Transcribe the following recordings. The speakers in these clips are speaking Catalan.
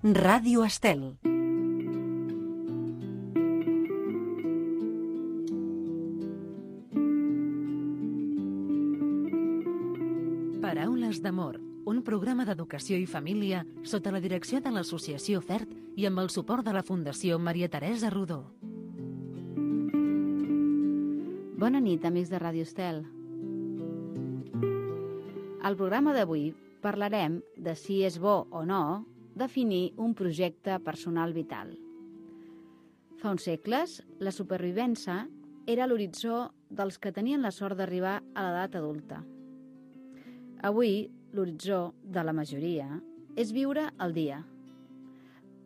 Ràdio Estel. Paraules d'amor, un programa d'educació i família sota la direcció de l'Associació FERT i amb el suport de la Fundació Maria Teresa Rodó. Bona nit, amics de Ràdio Estel. Al programa d'avui parlarem de si és bo o no definir un projecte personal vital. Fa uns segles, la supervivència era l'horitzó dels que tenien la sort d'arribar a l'edat adulta. Avui, l'horitzó de la majoria és viure el dia.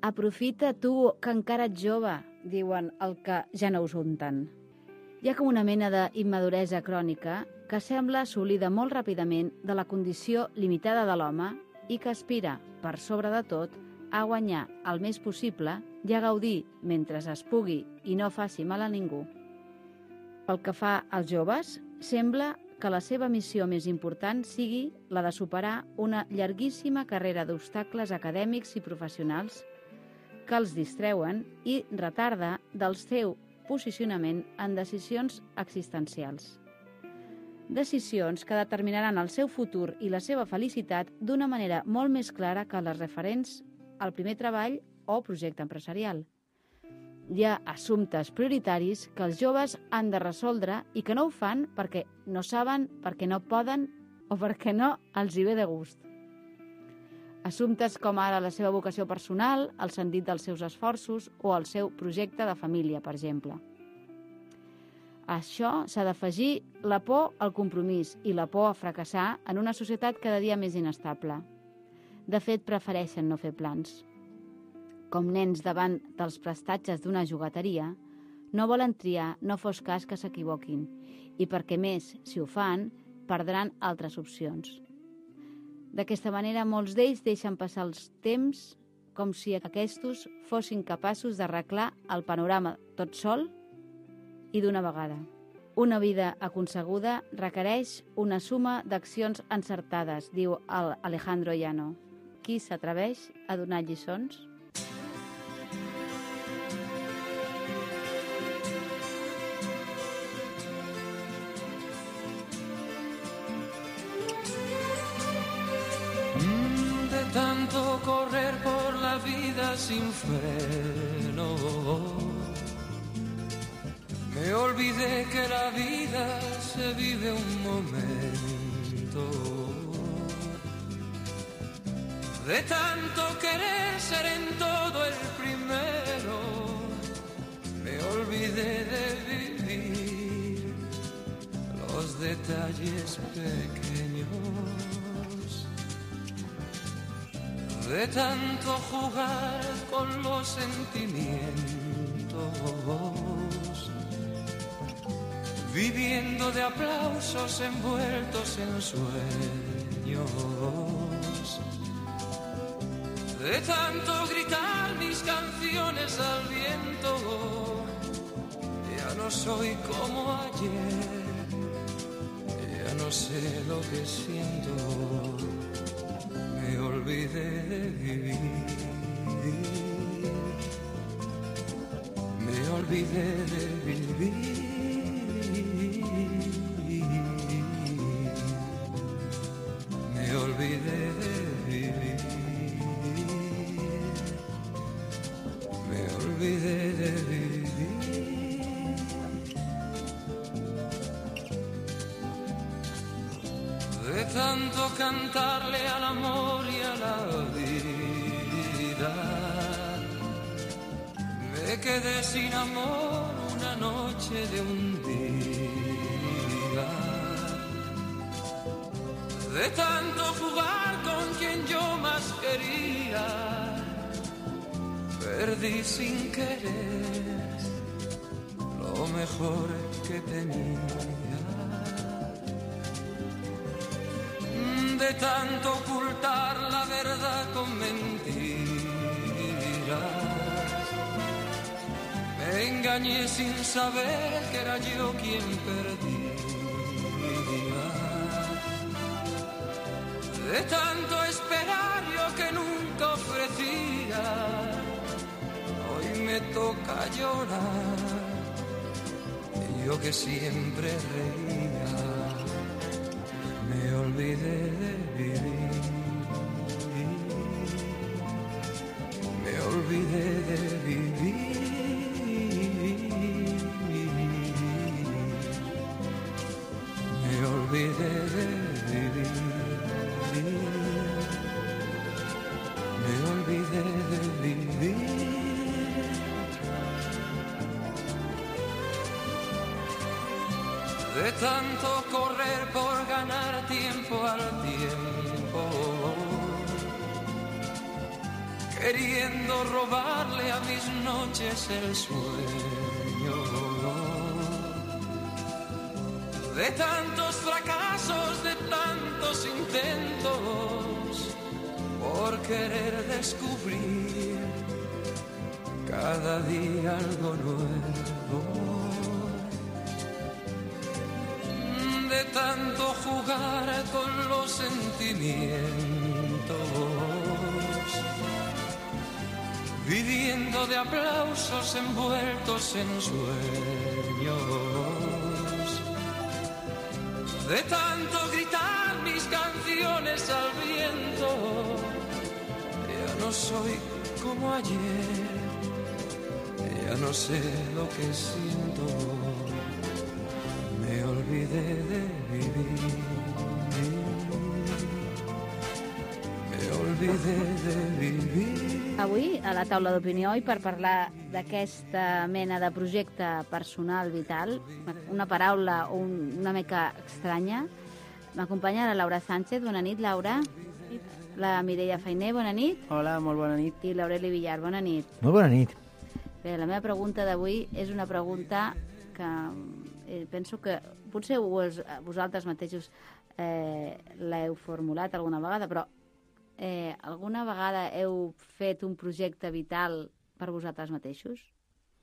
Aprofita tu, que encara ets jove, diuen el que ja no us unten. Hi ha com una mena d'immaduresa crònica que sembla assolida molt ràpidament de la condició limitada de l'home i que aspira, per sobre de tot, a guanyar el més possible i a gaudir mentre es pugui i no faci mal a ningú. Pel que fa als joves, sembla que la seva missió més important sigui la de superar una llarguíssima carrera d'obstacles acadèmics i professionals que els distreuen i retarda del seu posicionament en decisions existencials. Decisions que determinaran el seu futur i la seva felicitat d'una manera molt més clara que les referents al primer treball o projecte empresarial. Hi ha assumptes prioritaris que els joves han de resoldre i que no ho fan perquè no saben, perquè no poden o perquè no els hi ve de gust. Assumptes com ara la seva vocació personal, el sentit dels seus esforços o el seu projecte de família, per exemple. A això s'ha d'afegir la por al compromís i la por a fracassar en una societat cada dia més inestable. De fet, prefereixen no fer plans. Com nens davant dels prestatges d'una jugateria, no volen triar, no fos cas que s'equivoquin, i perquè més, si ho fan, perdran altres opcions. D'aquesta manera, molts d'ells deixen passar els temps com si aquests fossin capaços d'arreglar el panorama tot sol i d'una vegada. Una vida aconseguda requereix una suma d'accions encertades, diu el Alejandro Llano. Qui s'atreveix a donar lliçons? De tanto correr por la vida sin freno, me olvidé que la vida se vive un momento. De tanto querer ser en todo el primero, me olvidé de vivir los detalles pequeños. De tanto jugar con los sentimientos, viviendo de aplausos envueltos en sueños. De tanto gritar mis canciones al viento, ya no soy como ayer, ya no sé lo que siento. Me olvidé de vivir, me olvidé de vivir, me olvidé de vivir, me olvidé de vivir. De tanto cantarle al amor y a la vida, me quedé sin amor una noche de un día. De tanto jugar con quien yo más quería, perdí sin querer lo mejor que tenía. De tanto ocultar la verdad con mentiras, me engañé sin saber que era yo quien perdía. De tanto esperar yo que nunca ofrecía, toca llorar. Yo que siempre reía, me olvidé de vivir. Me olvidé de vivir. Me olvidé de vivir. Me olvidé de vivir. De tanto correr por ganar tiempo al tiempo, queriendo robarle a mis noches el sueño. De tantos fracasos, de tantos intentos, por querer descubrir cada día algo nuevo. De tanto jugar con los sentimientos, viviendo de aplausos envueltos en sueños. De tanto gritar mis canciones al viento, ya no soy como ayer, ya no sé lo que siento. Me olvidé de vivir. Me olvidé de vivir. Avui, a la taula d'opinió, i per parlar d'aquesta mena de projecte personal vital, una paraula una mica estranya, m'acompanya la Laura Sánchez. Bona nit, Laura. La Mireia Fainé, bona nit. Hola, molt bona nit. I l'Aureli Villar, bona nit. Molt bona nit. Bé, la meva pregunta d'avui és una pregunta que penso que potser vosaltres mateixos l'heu formulat alguna vegada, però alguna vegada heu fet un projecte vital per vosaltres mateixos?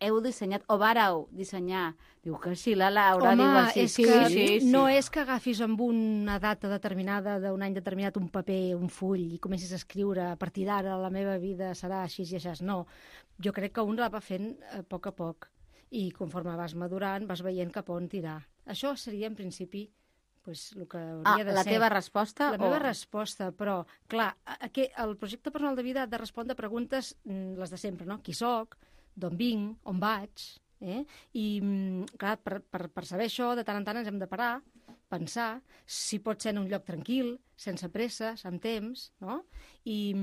Heu dissenyat, o vareu dissenyar? Diu que sí, la Laura. Home, diu que sí, és que sí. no és que agafis amb una data determinada d'un any determinat un paper, un full, i comencis a escriure a partir d'ara la meva vida serà així i així. No, jo crec que un la va fent a poc, i conforme vas madurant vas veient cap on tirar. Això seria, en principi, el que hauria de ser. La teva resposta? La meva resposta, però, clar, el projecte personal de vida ha de respondre a preguntes, les de sempre, no? Qui soc, d'on vinc, on vaig, I, clar, per saber això, de tant en tant ens hem de parar, pensar si pot ser en un lloc tranquil, sense presses, amb temps, no? I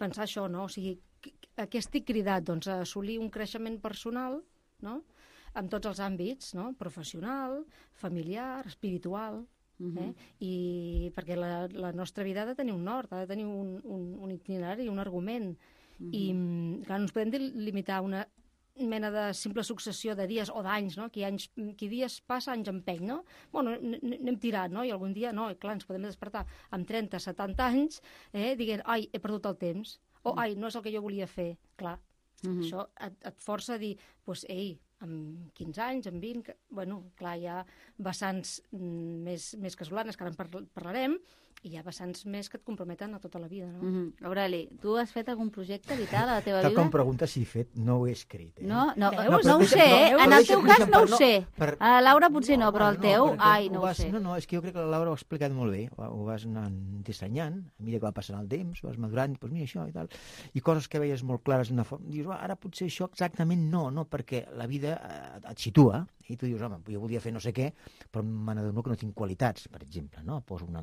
pensar això, no? O sigui, a què estic cridat? Doncs a assolir un creixement personal, no?, en tots els àmbits, no?, professional, familiar, espiritual, i perquè la nostra vida ha de tenir un nord, ha de tenir un itinerari, un argument, i clar, no ens podem limitar a una mena de simple successió de dies o d'anys, no? Qui dies passa, anys empeny, no? Bueno, anem tirant, no? I algun dia, no, clar, ens podem despertar amb 30, 70 anys, dient, ai, he perdut el temps, o ai, no és el que jo volia fer, clar. Això et força a dir, doncs, ei, amb 15 anys, amb 20, bueno, clar, hi ha vessants més casolanes, que ara en parlarem, i hi ha vessants més que et comprometen a tota la vida, no? Aureli, tu has fet algun projecte vital a la teva Tal vida? com pregunta si he fet, no ho he escrit. No ho però sé, en el teu cas no ho sé. per- A la Laura potser no, però el teu, ai, no ho sé. No, és que jo crec que la Laura ho ha explicat molt bé. Ho vas anar dissenyant, a mesura que va passant el temps, vas madurant, doncs mira això i tal, i coses que veies molt clares d'una forma. Dius, ara potser això exactament no, perquè la vida et situa, i tu dius, home, jo volia fer no sé què, però me n'adono que no tinc qualitats, per exemple, no? Poso una...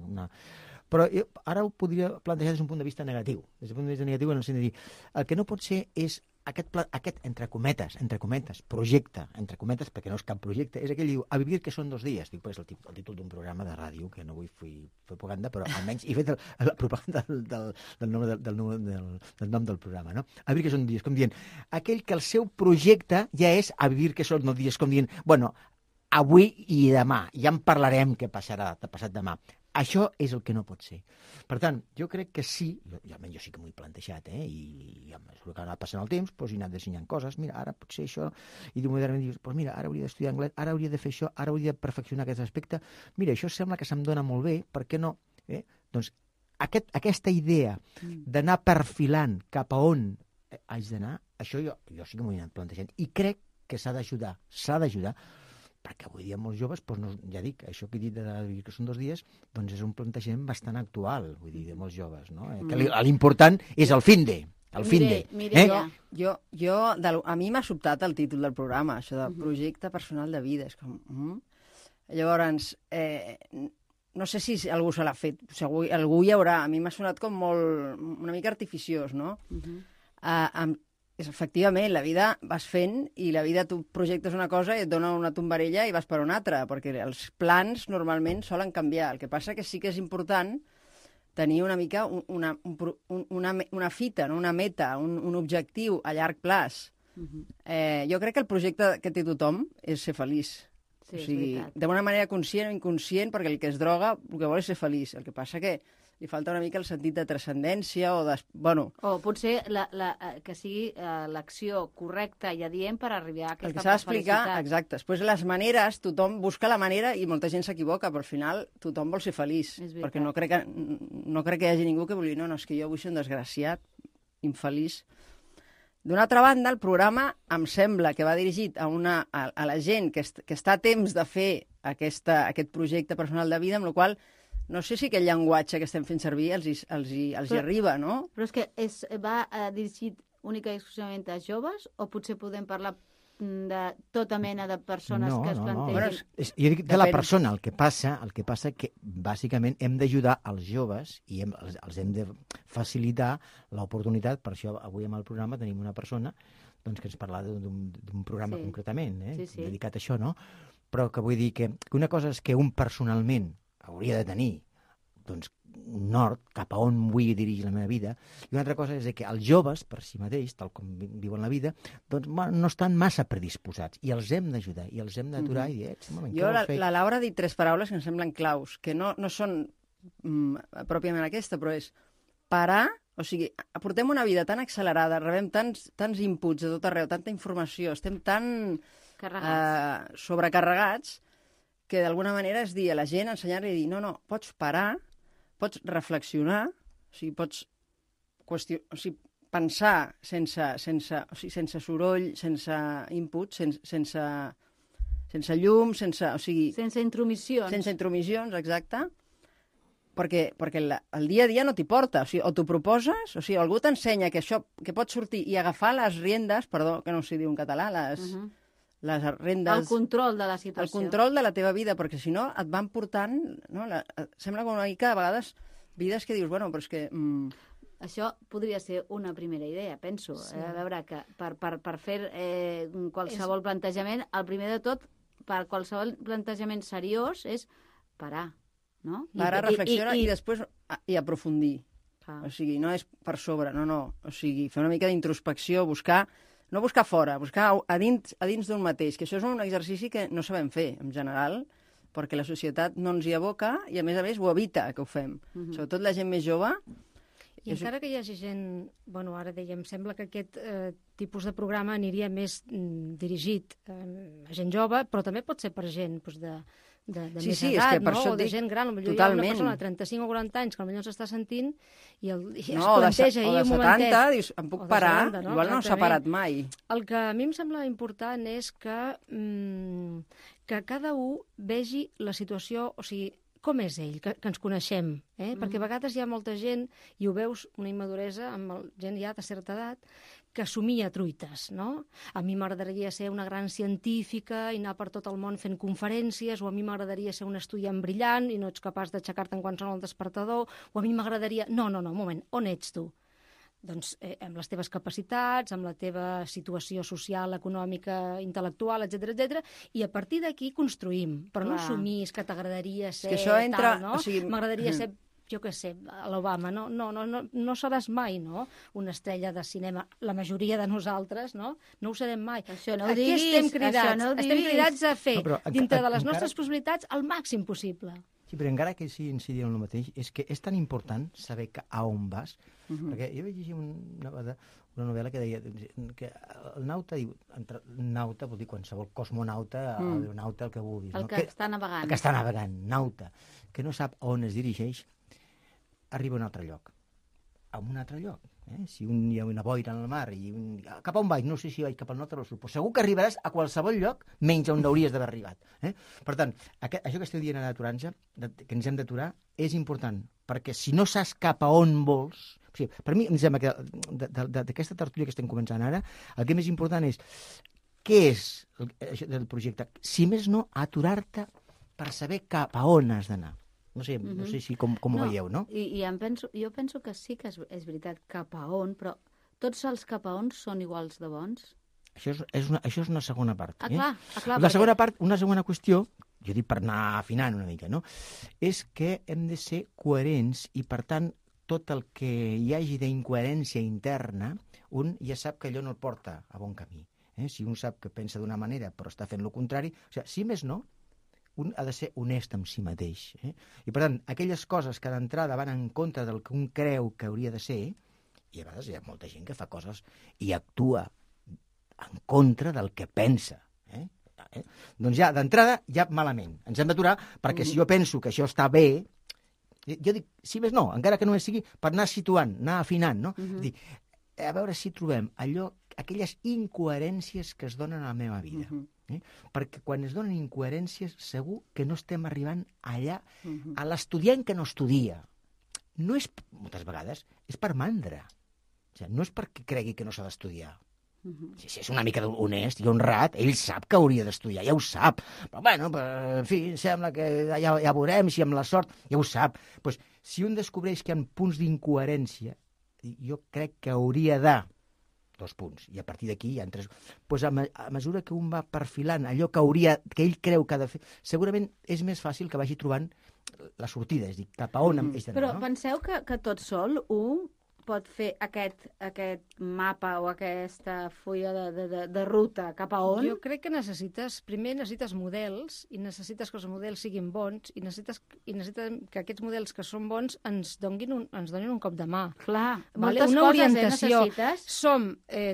Però ara ho podria plantejar des d'un punt de vista negatiu. Des d'un punt de vista negatiu en el sentit de dir, el que no pot ser és aquest entre cometes, projecte, entre cometes, perquè no és cap projecte, és aquell que diu, a vivir que són 2 dies. Dic, és el títol d'un programa de ràdio, que no vull fer propaganda, però almenys he fet la propaganda del nom del programa, no? A vivir que són 2 dies, com dient, aquell que el seu projecte ja és a vivir que són 2 dies, com dient, bueno, avui i demà, ja en parlarem què passarà de passat demà. Això és el que no pot ser. Per tant, jo crec que sí, almenys jo sí que m'ho he plantejat, i a mesura que ha anat passant el temps, doncs he anat dissenyant coses, mira, ara potser això, i modernament dius, doncs mira, ara hauria d'estudiar anglès, ara hauria de fer això, ara hauria de perfeccionar aquest aspecte, mira, això sembla que se'm dona molt bé, per què no? Doncs aquesta idea d'anar perfilant cap a on haig d'anar, això jo sí que m'ho he anat plantejant. I crec que s'ha d'ajudar, perquè avui dia molts joves, doncs no, ja dic, això que he dit que són 2 dies, doncs és un plantejament bastant actual, vull dir, de molts joves, no? Que l'important és el finde. A mi m'ha sobtat el títol del programa, això de projecte personal de vida. És com... Llavors, no sé si algú se l'ha fet, algú hi haurà. A mi m'ha sonat com una mica artificiós, no? Efectivament, la vida vas fent i la vida tu projectes una cosa i et dona una tombarella i vas per una altra, perquè els plans normalment solen canviar. El que passa que sí que és important tenir una mica una fita, no? Una meta, un objectiu a llarg plaç. Jo crec que el projecte que té tothom és ser feliç. Sí, o sigui, d'una manera conscient o inconscient, perquè el que es droga el que vol és ser feliç. El que passa que li falta una mica el sentit de transcendència o de... Bueno, o potser que sigui l'acció correcta i adient per arribar a aquesta el que s'ha d'explicar, felicitat. exacte. Després les maneres, tothom busca la manera i molta gent s'equivoca, però al final tothom vol ser feliç. Perquè no crec que hi hagi ningú que vulgui, no, és que jo vull ser un desgraciat, infeliç. D'una altra banda, el programa em sembla que va dirigit a la gent que està a temps de fer aquest projecte personal de vida, amb la qual cosa no sé si aquest llenguatge que estem fent servir els hi arriba, no? Però és que va dirigit única i exclusivament a joves o potser podem parlar de tota mena de persones que es plantegin? Jo dic de la persona. El que passa que bàsicament hem d'ajudar els joves i els hem de facilitar l'oportunitat. Per això avui amb el programa tenim una persona que ens parla d'un programa concretament dedicat a això, no? Però que vull dir que una cosa és que un personalment hauria de tenir un nord cap a on vull dirigir la meva vida, i una altra cosa és que els joves, per si mateix, tal com viuen la vida, no estan massa predisposats, i els hem d'ajudar, i els hem d'aturar i dir, la Laura ha dit 3 paraules que em semblen claus, que no són pròpiament aquesta, però és parar, o sigui, portem una vida tan accelerada, rebem tants inputs de tot arreu, tanta informació, estem tan sobrecarregats, que d'alguna manera és dir a la gent, ensenyar-li a dir, no, pots parar, pots reflexionar, o sigui, pots pensar sense soroll, sense input, sense llum, sense intromissions. Sense intromissions, exacte, perquè el dia a dia no t'hi porta, o t'ho proposes, o sigui, algú t'ensenya que pots sortir i agafar les riendes, perdó, que no s'hi diu en català, les rendes... El control de la situació. El control de la teva vida, perquè si no et van portant... No, sembla com una mica, a vegades, vides que dius, bueno, però és que... Això podria ser una primera idea, penso. Sí. A veure, que per fer qualsevol plantejament, el primer de tot, per qualsevol plantejament seriós, és parar, no? Parar, reflexionar i després aprofundir. O sigui, no és per sobre, no. O sigui, fer una mica d'introspecció, no buscar fora, buscar a dins d'un mateix, que això és un exercici que no sabem fer, en general, perquè la societat no ens hi aboca i, a més, ho evita que ho fem. Sobretot la gent més jove. I encara que hi hagi gent... Bueno, ara dèiem, sembla que aquest tipus de programa aniria més dirigit a gent jove, però també pot ser per gent de més edat, no? O de gent gran. Potser hi ha una persona de 35 o 40 anys que potser s'està sentint i es planteja ahir un momentet. O de 70, dius, em puc parar? Igual no s'ha parat mai. El que a mi em sembla important és que cada un vegi la situació, o sigui, com és ell, que ens coneixem, perquè a vegades hi ha molta gent, i ho veus, una immaduresa amb gent ja de certa edat, que somia truites, no? A mi m'agradaria ser una gran científica i anar per tot el món fent conferències, o a mi m'agradaria ser un estudiant brillant i no ets capaç d'aixecar-te en qualsevol despertador, o a mi m'agradaria... No, un moment, on ets tu? Doncs amb les teves capacitats, amb la teva situació social, econòmica, intel·lectual, etc, i a partir d'aquí construïm. Però no assumís que t'agradaria ser tal, no? M'agradaria ser, jo què sé, a l'Obama. No seràs mai, no?, una estrella de cinema. La majoria de nosaltres, no? No ho serem mai. Això no ho diguis. Estem cridats a fer, dintre de les nostres possibilitats, el màxim possible. Sí, però encara que sí incidir en el mateix, és que és tan important saber a on vas, perquè jo vaig llegir una novel·la que deia que el nauta, nauta vol dir qualsevol cosmonauta, aeronauta, el que vulguis. El que està navegant. El que està navegant, nauta, que no sap on es dirigeix, arriba a un altre lloc. a un altre lloc. Si hi ha una boira en el mar i cap a on vaig? No sé si vaig cap al nord o al sud, però segur que arribaràs a qualsevol lloc menys on hauries d'haver arribat. Per tant, això que esteu dient ara d'aturar-nos, que ens hem d'aturar, és important, perquè si no saps cap a on vols... O sigui, per mi, em sembla que d'aquesta tertúlia que estem començant ara, el que més important és què és això del projecte. Si més no, aturar-te per saber cap a on has d'anar. No sé si com ho veieu, no? Jo penso que sí que és veritat cap a on, però tots els cap a on són iguals de bons? Això és una segona part. Clar, la segona part, una segona qüestió, jo dic per anar afinant una mica, no? És que hem de ser coherents i, per tant, tot el que hi hagi d'incoherència interna, un ja sap que allò no el porta a bon camí. Si un sap que pensa d'una manera però està fent el contrari, o sigui, si més no, un ha de ser honest amb si mateix. I, per tant, aquelles coses que d'entrada van en contra del que un creu que hauria de ser, i a vegades hi ha molta gent que fa coses i actua en contra del que pensa. Doncs ja, d'entrada, ja malament. Ens hem d'aturar, perquè si jo penso que això està bé, jo dic, si més no, encara que només sigui per anar situant, anar afinant, no? Dic, a veure si trobem aquelles incoherències que es donen a la meva vida. Perquè quan es donen incoherències segur que no estem arribant allà a l'estudiant que no estudia. No és, moltes vegades, és per mandra. O sigui, no és perquè cregui que no s'ha d'estudiar. Si és una mica honest i honrat, ell sap que hauria d'estudiar, ja ho sap. Però, bueno, en fi, sembla que ja veurem si amb la sort, ja ho sap. Pues, si un descobreix que hi ha punts d'incoherència, jo crec que hauria de 2 punts, i a partir d'aquí hi ha 3. Pues a mesura que un va perfilant allò que ell creu que ha de fer, segurament és més fàcil que vagi trobant la sortida, és a dir, cap a on és d'anar. Però penseu que tot sol un pot fer aquest mapa o aquesta fulla de ruta cap a on? Jo crec que primer necessites models, i necessites que els models siguin bons, i necessites que aquests models que són bons ens donin un cop de mà. Clar, moltes una coses necessites.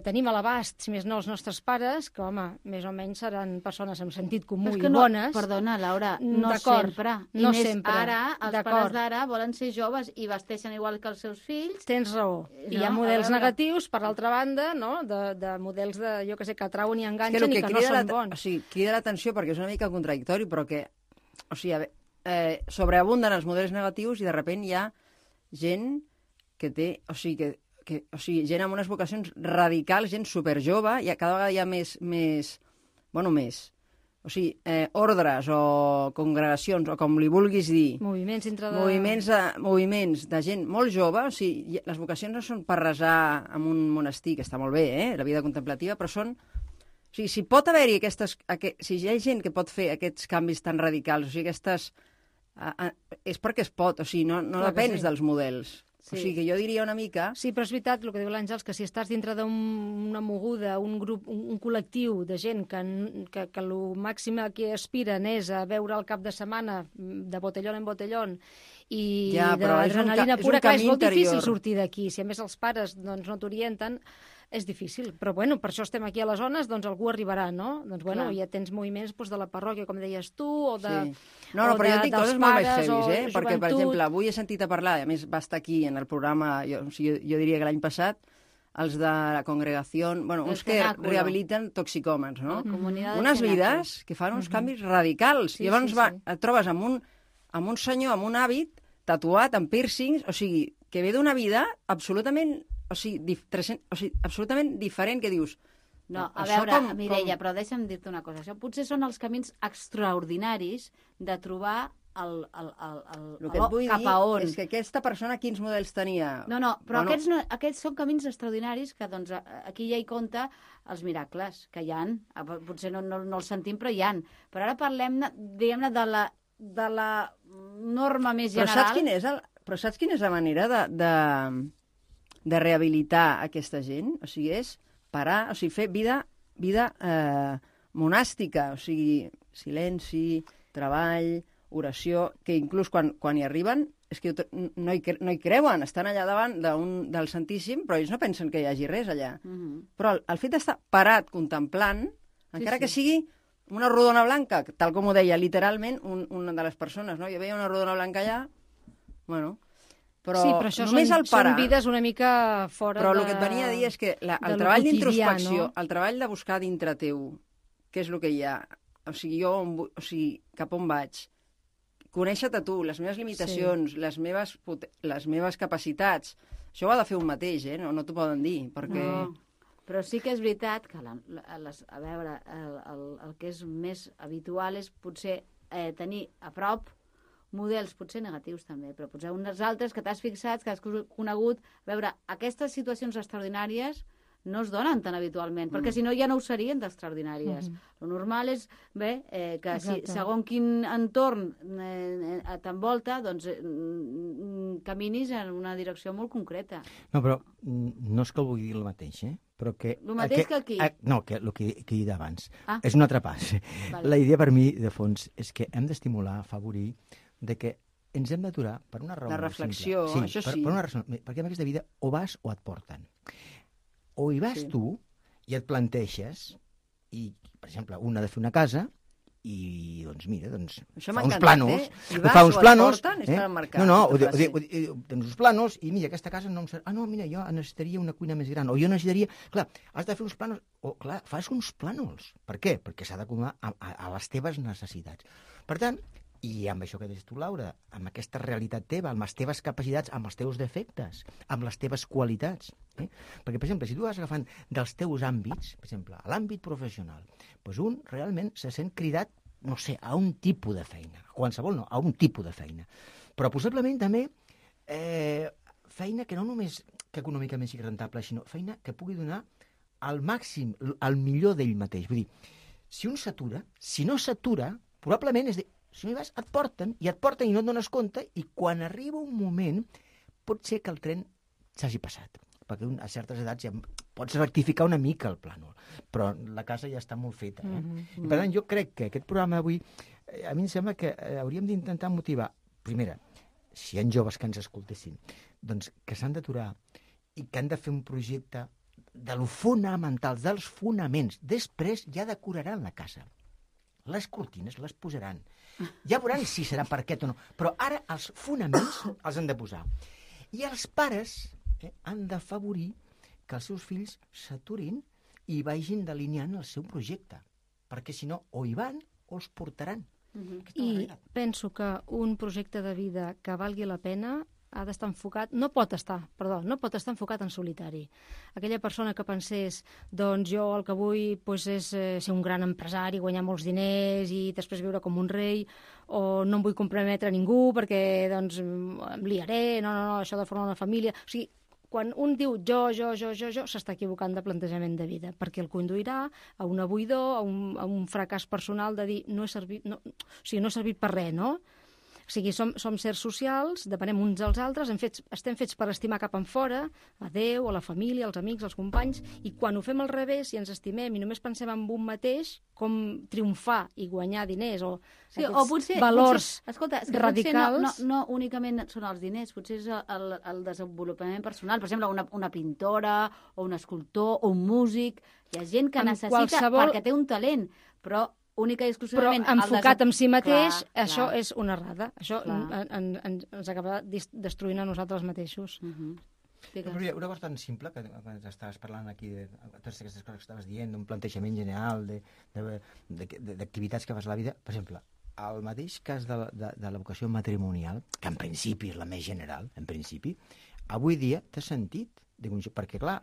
Tenim a l'abast, si més no, els nostres pares, que, home, més o menys seran persones amb sentit comú i no, bones. Perdona, Laura, no sempre. No més sempre. Ara, els pares d'ara volen ser joves i vesteixen igual que els seus fills. Tens raó. I hi ha models negatius, per l'altra banda, no? de models jo que sé, que atrauen i enganxen i que no són bons. O sigui, crida l'atenció perquè és una mica contradictori, però que, o sigui, sobreabunden els models negatius i de sobte hi ha gent que té, o sigui, gent amb unes vocacions radicals, gent superjove, i cada vegada hi ha més, o sigui, ordres o congregacions, o com li vulguis dir. Moviments dintre de... Moviments de gent molt jove, o sigui, les vocacions no són per resar en un monestir, que està molt bé, la vida contemplativa, però són... O sigui, si pot haver-hi si hi ha gent que pot fer aquests canvis tan radicals, o sigui, és perquè es pot, o sigui, no depèn dels models. Sí. O sigui, que jo diria una mica... Sí, però és veritat el que diu l'Àngels, que si estàs dintre d'una moguda, un grup, un col·lectiu de gent que el màxim a què aspiren és a veure el cap de setmana de botellón en botellón i d'adrenalina pura, que és molt difícil sortir d'aquí. Si a més els pares no t'orienten, és difícil. Però bueno, per això estem aquí a les zones, doncs algú arribarà, no? Doncs bueno, ja tens moviments de la parròquia, com deies tu, o de... Sí. No, però jo dic coses molt més heavies, perquè, per exemple, avui he sentit a parlar, a més va estar aquí en el programa, jo diria que l'any passat, els de la congregació, uns que rehabiliten toxicòmens, no? Unes vides que fan uns canvis radicals. I llavors et trobes amb un senyor amb un hàbit tatuat, amb piercings, o sigui, que ve d'una vida absolutament, absolutament diferent, que dius... No, a veure, Mireia, però deixa'm dir-te una cosa. Això potser són els camins extraordinaris de trobar el cap a on. És que aquesta persona quins models tenia? No, però aquests són camins extraordinaris que doncs, aquí ja hi compta els miracles que hi ha. Potser no els sentim, però hi ha. Però ara parlem, diguem-ne, de la norma més general. Però saps quina és la manera de rehabilitar aquesta gent? O sigui, és parar, o sigui, fer vida monàstica, o sigui, silenci, treball, oració, que inclús quan hi arriben és que no hi creuen, estan allà davant del Santíssim, però ells no pensen que hi hagi res allà. Però el fet d'estar parat contemplant, encara que sigui una rodona blanca, tal com ho deia literalment una de les persones, no? Jo veia una rodona blanca allà, bueno... Però, sí, però això només el parar... són vides una mica fora Però el que et venia a dir és que el treball d'introspecció, el treball de buscar dintre teu què és el que hi ha, o sigui, cap on vaig, conèixer-te tu, les meves limitacions, les meves capacitats, això ho ha de fer un mateix, no t'ho poden dir, perquè... No. Però sí que és veritat que, a veure, el que és més habitual és potser tenir a prop models potser negatius també, però potser uns altres que t'has fixat, que has conegut. A veure, aquestes situacions extraordinàries no es donen tan habitualment, perquè si no ja no ho serien d'extraordinàries. Lo normal és que si segons quin entorn t'envolta, doncs caminis en una direcció molt concreta. No, però no és que el vulgui dir el mateix, però que... El mateix que aquí? No, que el que he dit abans. És un altre pas. Vale. La idea per mi, de fons, és que hem d'estimular, afavorir, de que ens hem d'aturar per una raó de reflexió, simple. això sí. Per una raó, perquè en aquesta vida o vas o et porten. O hi vas tu i et planteges, i, per exemple, un ha de fer una casa, i, doncs, mira, fa uns plànols. Fa uns plànols. Tens uns plànols, i mira, aquesta casa no em serà... Ah, no, mira, jo necessitaria una cuina més gran, o jo necessitaria... Clar, has de fer uns plànols, o clar, fas uns plànols. Per què? Perquè s'ha d'acomodar a les teves necessitats. Per tant, i amb això que deies tu, Laura, amb aquesta realitat teva, amb les teves capacitats, amb els teus defectes, amb les teves qualitats. Perquè, per exemple, si tu vas agafant dels teus àmbits, per exemple, a l'àmbit professional, doncs un realment se sent cridat, no sé, a un tipus de feina. Qualsevol no, a un tipus de feina. Però possiblement també feina que no només que econòmicament sigui rentable, sinó feina que pugui donar al màxim, al millor d'ell mateix. Vull dir, si un s'atura, si no s'atura, probablement és si no hi vas, et porten i no et dones compte, i quan arriba un moment pot ser que el tren s'hagi passat, perquè a certes edats ja pots rectificar una mica el plànol, però la casa ja està molt feta. I per tant, jo crec que aquest programa d'avui, a mi em sembla que hauríem d'intentar motivar, primera, si hi ha joves que ens escoltessin, doncs que s'han d'aturar i que han de fer un projecte de lo fonamental, dels fonaments. Després ja decoraran la casa. Les cortines les posaran. Ja veuran si serà parquet o no. Però ara els fonaments els han de posar. I els pares han d'afavorir que els seus fills s'aturin i vagin delineant el seu projecte. Perquè si no, o hi van o els portaran. I penso que un projecte de vida que valgui la pena ha d'estar enfocat, no pot estar enfocat en solitari. Aquella persona que pensés, doncs jo el que vull és ser un gran empresari, guanyar molts diners i després viure com un rei, o no em vull comprometre a ningú perquè doncs em liaré, no, això de formar una família... O sigui, quan un diu jo, s'està equivocant de plantejament de vida, perquè el conduirà a una buidor, a un fracàs personal de dir no he servit per res, no? O sigui, som sers socials, depenem uns dels altres, estem fets per estimar cap enfora, a Déu, a la família, als amics, als companys, i quan ho fem al revés i ens estimem i només pensem en un mateix, com triomfar i guanyar diners o valors radicals... No únicament són els diners, potser és el desenvolupament personal. Per exemple, una pintora o un escultor o un músic. Hi ha gent que necessita perquè té un talent, però única i exclusivament... Però enfocat en si mateix, això és una errada. Això ens acaba destruint a nosaltres mateixos. Una cosa tan simple, que estaves parlant aquí de totes aquestes coses que estaves dient, d'un plantejament general, d'activitats que fas a la vida. Per exemple, el mateix cas de la vocació matrimonial, que en principi és la més general, en principi, avui dia té sentit, perquè, clar,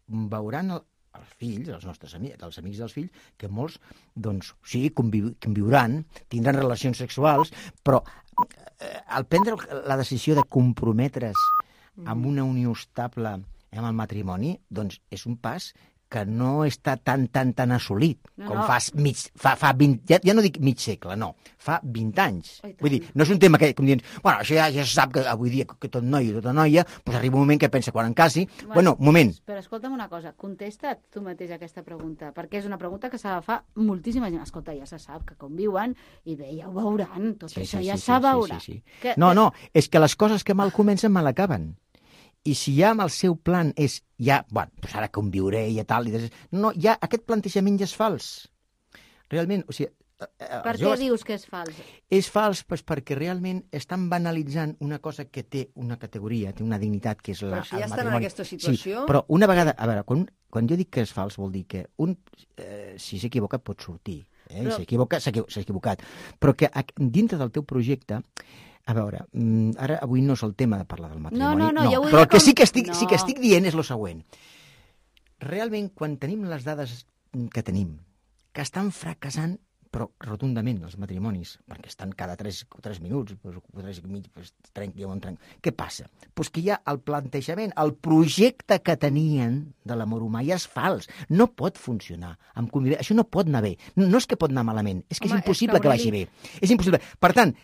veuran els fills, els nostres amics, els amics dels fills, que molts, doncs, sí, conviuran, tindran relacions sexuals, però al prendre la decisió de comprometre's amb una unió estable amb el matrimoni, doncs és un pas que no està tan assolit com fa 20... Ja no dic mig segle, no. Fa 20 anys. Vull dir, no és un tema que, com dient, bueno, això ja se sap que avui dia que tot noi i tota noia, doncs arriba un moment que pensa quan en casi... Bueno, moment. Però escolta'm una cosa, contesta't tu mateix aquesta pregunta, perquè és una pregunta que se la fa moltíssima gent. Escolta, ja se sap que conviuen i bé, ja ho veuran, tot això ja se veurà. No, és que les coses que mal comencen mal acaben. I si ja amb el seu plan és, bueno, doncs ara conviuré i tal, no, ja aquest plantejament ja és fals. Realment, o sigui, Per què dius que és fals? És fals perquè realment estan banalitzant una cosa que té una categoria, té una dignitat, que és el matrimoni. Però si ja estan en aquesta situació... Sí, però una vegada... A veure, quan jo dic que és fals vol dir que si s'equivoca pot sortir. I s'equivoca, s'ha equivocat. Però que dintre del teu projecte... A veure, ara avui no és el tema de parlar del matrimoni. No, ja ho però el que com... sí que estic dient és el següent. Realment, quan tenim les dades que tenim, que estan fracassant però rotundament els matrimonis, perquè estan cada 3 minuts, 3 i mig, trenc. Què passa? Pues que ja el plantejament, el projecte que tenien de l'amor humà ja és fals. No pot funcionar. Això no pot anar bé. No és que pot anar malament, és que és impossible que vagi bé. És impossible. Per tant,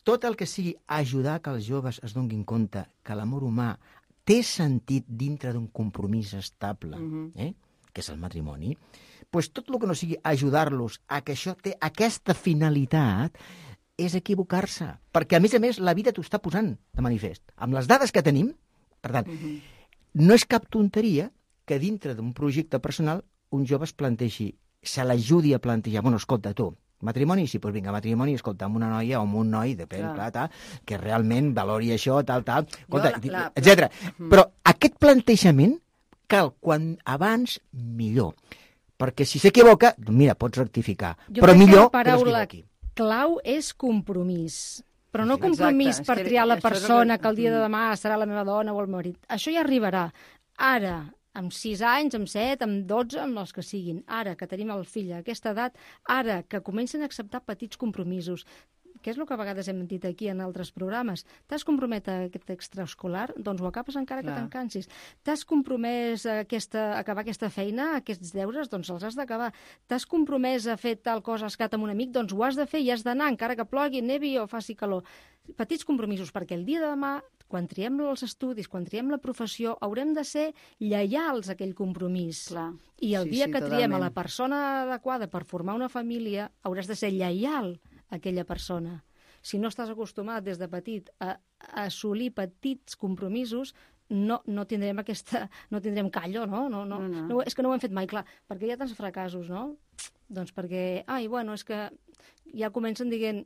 tot el que sigui ajudar que els joves es donin compte que l'amor humà té sentit dintre d'un compromís estable, que és el matrimoni, doncs tot el que no sigui ajudar-los a que això té aquesta finalitat és equivocar-se. Perquè, a més, la vida t'ho està posant de manifest. Amb les dades que tenim, per tant, no és cap tonteria que dintre d'un projecte personal un jove es plantegi, se l'ajudi a plantejar, bueno, escolta, tu, matrimoni? Sí, doncs vinga, matrimoni, escolta, amb una noia o amb un noi, depèn, clar, que realment valori això, tal, etc. Però aquest plantejament cal quan abans millor. Perquè si s'equivoca, mira, pots rectificar. Però millor que no s'equivoqui. Clau és compromís. Però no compromís per triar la persona que el dia de demà serà la meva dona o el marit. Això ja arribarà. Ara, amb 6 anys, amb 7, amb 12, amb els que siguin. Ara que tenim el fill a aquesta edat, ara que comencen a acceptar petits compromisos, que és el que a vegades hem dit aquí en altres programes. T'has compromès a aquest extraescolar? Doncs ho acabes encara que te'n cansis. T'has compromès a acabar aquesta feina, aquests deures? Doncs els has d'acabar. T'has compromès a fer tal cosa, has quedat amb un amic? Doncs ho has de fer i has d'anar, encara que plogui, nevi o faci calor. Petits compromisos, perquè el dia de demà, quan triem els estudis, quan triem la professió, haurem de ser lleials a aquell compromís. Clar. I el dia que triem a la persona adequada per formar una família, hauràs de ser lleial a aquella persona. Si no estàs acostumat des de petit a assolir petits compromisos, no tindrem callo, no? No, és que no ho hem fet mai, clar, perquè hi ha tants fracassos, no? Doncs perquè, és que ja comencen dient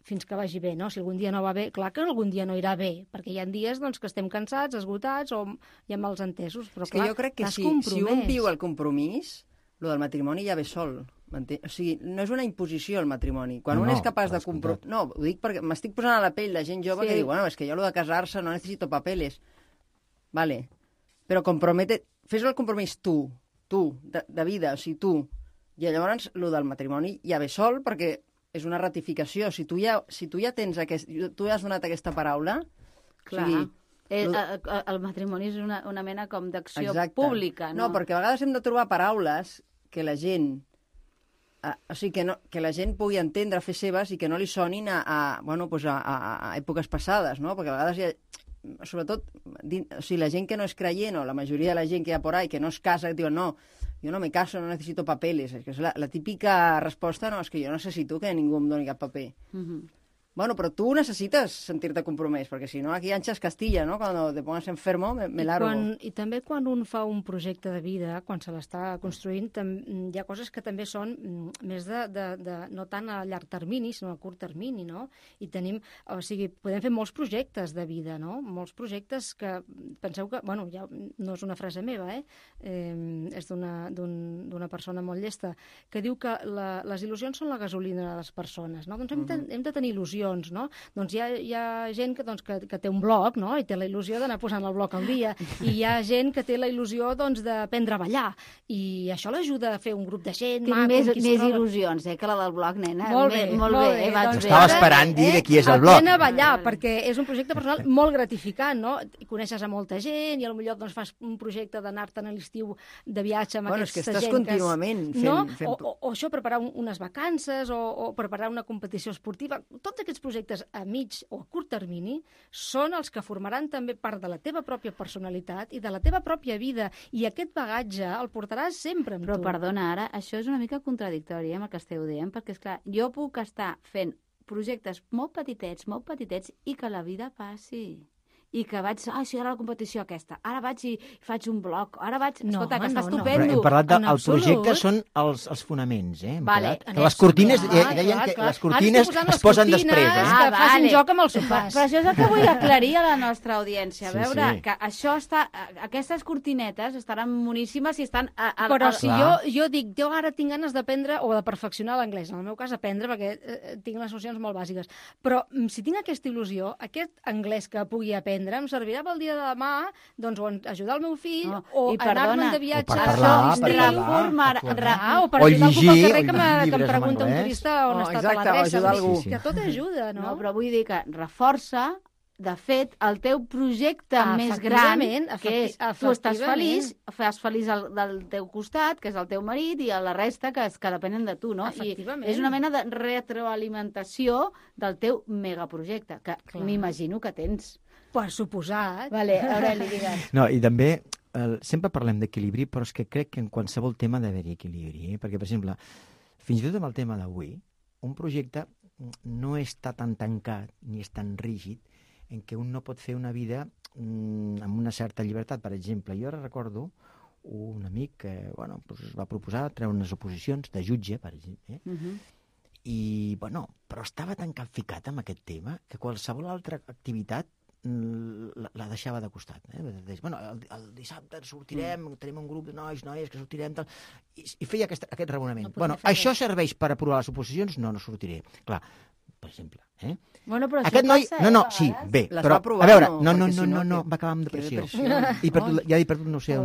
fins que vagi bé, no? Si algun dia no va bé, clar que algun dia no irà bé, perquè hi ha dies que estem cansats, esgotats o hi ha mals entesos, però clar, jo crec que si un viu el compromís, el del matrimoni ja ve sol. O sigui, no és una imposició el matrimoni. Quan un és capaç de comprometre... No, ho dic perquè m'estic posant a la pell la gent jove que diu, bueno, és que jo lo de casar-se no necessito papeles. Vale, però fes el compromís tu, de vida, o sigui, tu. I llavors, lo del matrimoni ja ve sol perquè és una ratificació. Si tu ja tens tu has donat aquesta paraula... Clar. O sigui, el matrimoni és una mena com d'acció pública, no? No, perquè a vegades hem de trobar paraules que la gent... O sigui, que la gent pugui entendre, fer seves i que no li sonin a èpoques passades, no? Perquè a vegades sobretot, o sigui, la gent que no és creient o la majoria de la gent que hi ha por ahí que no es casa, que diuen, no, jo no me caso, no necesito papeles. És que és la típica resposta, no, és que jo no necessito que ningú em doni cap paper. Bueno, pero tú necesitas sentirte compromès, perquè si no aquí anchas Castilla, ¿no? Cuando te pongas enfermo, me largo. I també quan un fa un projecte de vida, quan se l'està construint, hi ha coses que també són més no tant a llarg termini, sinó a curt termini, no? I tenim, o sigui, podem fer molts projectes de vida, no? Molts projectes que, penseu que, bueno, ja no és una frase meva, és d'una persona molt llesta, que diu que les il·lusions són la gasolina de les persones, no? Doncs hem de tenir il·lusió, no? Doncs hi ha gent que té un blog, no? I té la il·lusió d'anar posant el blog al dia, i hi ha gent que té la il·lusió d'aprendre a ballar, i això l'ajuda a fer un grup de gent maco. Tinc més il·lusions, que la del blog, nena. Molt bé. Estava esperant dir de qui és el blog. Aprèn a ballar, perquè és un projecte personal molt gratificant, no? Coneixes a molta gent, i potser fas un projecte d'anar-te'n a l'estiu de viatge amb aquesta gent. És que estàs contínuament fent... O això, preparar unes vacances, o preparar una competició esportiva. Tots aquests projectes a mig o a curt termini són els que formaran també part de la teva pròpia personalitat i de la teva pròpia vida, i aquest bagatge el portaràs sempre amb tu. Però perdona, ara, això és una mica contradictori amb el que esteu dient, perquè, esclar, jo puc estar fent projectes molt petitets, i que la vida passi. i que vaig... Sí, ara la competició aquesta. Ara vaig i faig un blog. Ara vaig... No, Escolta, que està no. estupendo. Però hem parlat En del projecte, absolut. són els fonaments, eh? Vale. Que les cortines, Clar, deien clar, que clar. les cortines Ara estic posant es posen les cortines, després, que eh? facin joc amb els sofàs. Però això és el que vull aclarir a la nostra audiència. A Sí, veure, sí. que això està... Aquestes cortinetes estaran moníssimes i estan... Però si Clar. jo dic, jo ara tinc ganes d'aprendre o de perfeccionar l'anglès, en el meu cas aprendre, perquè tinc les nocions molt bàsiques, però si tinc aquesta il·lusió, aquest anglès que pugui aprendre em servirà pel dia de demà, doncs, o ajudar el meu fill, o anar-me'n de viatge... O per parlar, o per O ajudar algú pel llegir carrer que em llibres en pregunta un anglès. turista on ha estat exacte, a l'adreça. ajudar algú. Sí. Que tot ajuda, no? No, però vull dir que reforça, de fet, el teu projecte més gran, que és tu estàs feliç del teu costat, que és el teu marit, i la resta que depenen de tu, no? I és una mena de retroalimentació del teu megaprojecte, que m'imagino que tens. Per suposat. Vale, Aureli, digues. No, i també sempre parlem d'equilibri, però és que crec que en qualsevol tema ha d'haver-hi equilibri, eh? Perquè, per exemple, fins i tot amb el tema d'avui, un projecte no està tan tancat ni és tan rígid en què un no pot fer una vida amb una certa llibertat. Per exemple, jo ara recordo un amic que es va proposar treure unes oposicions de jutge, per exemple, i, però estava tan capficat amb aquest tema que qualsevol altra activitat la deixava de costat. El dissabte sortirem, tenim un grup de noies que sortirem, i feia aquest raonament. Això serveix per aprovar les oposicions? No sortiré. Clar, per exemple. Bueno, però aquest noi... Sí, bé, però, a veure, no, va acabar amb depressió. I ja he perdut, no sé,